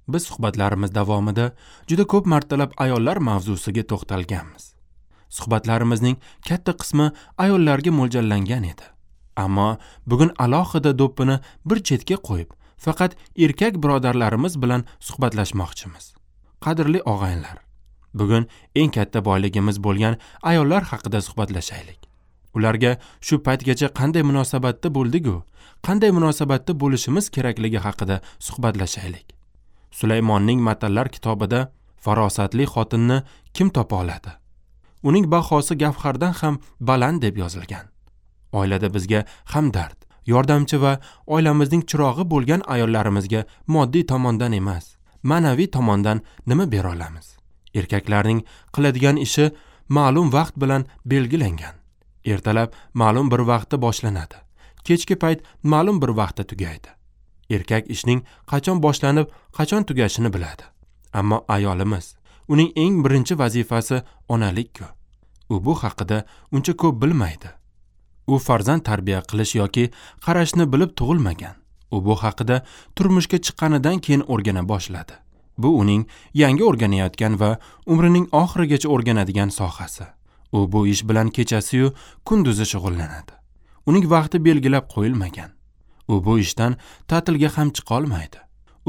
Biz suhbatlarimiz davomida juda ko'p martalab ayollar mavzusiga to'xtalganmiz. Suhbatlarimizning katta qismi ayollarga mo'ljallangan edi. Ammo bugun alohida do'ppini bir chetga qo'yib, faqat erkak birodarlarimiz bilan suhbatlashmoqchimiz. Qadrli og'aynilar, bugun eng katta boyligimiz bo'lgan ayollar haqida suhbatlashaylik. Ularga shu paytgacha qanday munosabatda bo'ldik-u, qanday munosabatda bo'lishimiz kerakligi haqida suhbatlashaylik. Sulaymonning Matallar kitobida farosatli xotinni kim topa oladi? Uning bahosi gavhardan ham baland deb yozilgan. Oilada bizga hamdard, yordamchi va oilamizning chirog'i bo'lgan ayollarimizga moddiy tomondan emas, ma'naviy tomondan nima bera olamiz? Erkaklarning qiladigan ishi ma'lum vaqt bilan belgilangan. Ertalab ma'lum bir vaqtda boshlanadi. Kechki payt ma'lum bir vaqtda tugaydi. Erkak ishning qachon boshlanib, qachon tugashini biladi. Ammo ayolimiz, uning eng birinchi vazifasi onalik-ku. U bu haqida uncha ko'p bilmaydi. U farzand tarbiya qilish yoki qarashni bilib tug'ilmagan. U bu haqida turmushga chiqqanidan keyin o'rgana boshladi. Bu uning yangi o'rganayotgan va umrining oxirigacha o'rganadigan sohasi. U bu ish bilan kechasi-yu kunduzi shug'ullanadi. Uning vaqti belgilab qo'yilmagan. U bu ishdan ta'tilga ham chiqa olmaydi.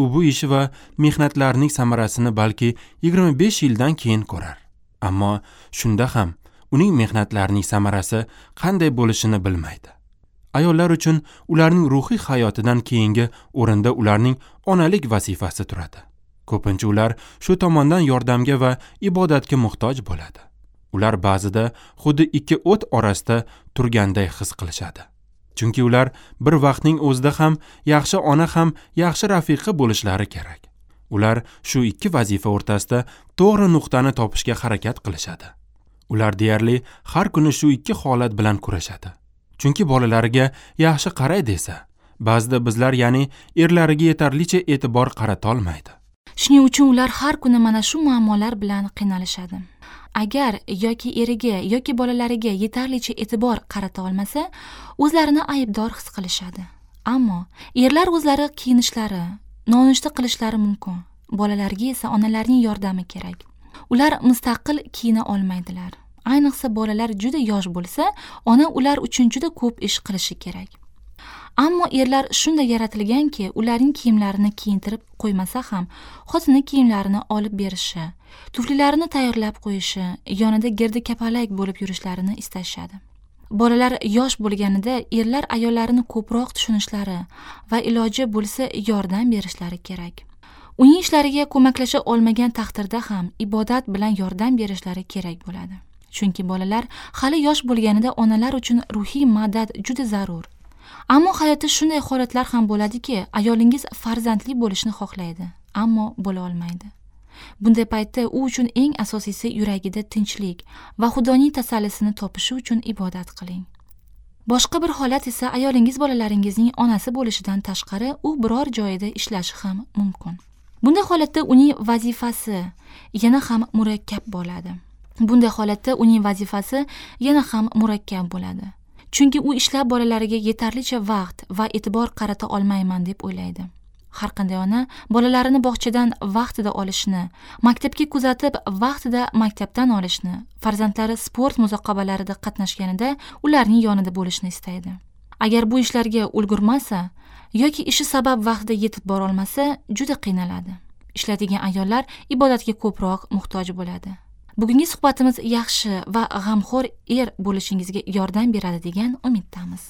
U bu ishi va mehnatlarining samarasini balki 25 yildan keyin ko'rar. Ammo shunda ham uning mehnatlarining samarasi qanday bo'lishini bilmaydi. Ayollar uchun ularning ruhiy hayotidan keyingi o'rinda ularning onalik vazifasi turadi. Ko'pincha ular shu tomondan yordamga va ibodatga muhtoj bo'ladi. Ular ba'zida xuddi ikki o't orasida turganday his qilishadi. Chunki ular bir vaqtning o'zida ham yaxshi ona ham yaxshi rafiqa bo'lishlari kerak. Ular shu ikki vazifa o'rtasida to'g'ri nuqtani topishga harakat qilishadi. Ular deyarli har kuni shu ikki holat bilan kurashadi. Chunki bolalariga yaxshi qaray desa, ba'zida bizlar, ya'ni erlariga yetarlicha e'tibor qarata olmaydi. Shuning uchun ular har kuni mana shu muammolar bilan qiynalishadi. Agar yoki eriga yoki bolalariga yetarlicha e'tibor qarata olmasa, o'zlarini aybdor his qilishadi. Ammo erlar o'zlari kiyinishlari, nonushta qilishlari mumkin. Bolalarga esa onalarning yordami kerak. Ular mustaqil kiyina olmaydilar. Ayniqsa bolalar juda yosh bo'lsa, ona ular uchun juda ko'p ish qilishi kerak. Ammo erlar shunday yaratilganki, ularning kiyimlarini kiyintirib qo'ymasa ham, xotini kiyimlarini olib berishi, tuflilarini tayyorlab qo'yishi, yonida girdi kapalak bo'lib yurishlarini istashadi. Bolalar yosh bo'lganida erlar ayollarini ko'proq tushunishlari va iloji bo'lsa yordam berishlari kerak. Uning ishlariga ko'maklasha olmagan taqdirda ham ibodat bilan yordam berishlari kerak bo'ladi. Chunki bolalar hali yosh bo'lganida onalar uchun ruhiy madad juda zarur. Ammo hayotda shunday holatlar ham bo'ladiki, ayolingiz farzandli bo'lishni xohlaydi, ammo bo'la olmaydi. Bunday paytda u uchun eng asosiysi yuragida tinchlik va Xudoning tasallisini topishi uchun ibodat qiling. Boshqa bir holat esa ayolingiz bolalaringizning onasi bo'lishidan tashqari u biror joyida ishlashi ham mumkin. Bunday holatda uning vazifasi yana ham murakkab bo'ladi. Bunday holatda uning vazifasi yana ham murakkab bo'ladi. Chunki u ishlab bolalariga yetarlicha vaqt va e'tibor qarata olmayman deb o'ylaydi. Har qanday ona bolalarini bog'chadan vaqtida olishni, maktabga kuzatib vaqtida maktabdan olishni, farzandlari sport musobaqalarida qatnashganida ularning yonida bo'lishni istaydi. Agar bu ishlarga ulgurmasa yoki ishi sabab vaqtida yetib bora olmasa, juda qiynaladi. Ishlaydigan ayollar ibodatga ko'proq muhtoj bo'ladi. Bugungi suhbatimiz yaxshi va g'amxo'r er bo'lishingizga yordam beradi degan umiddamiz.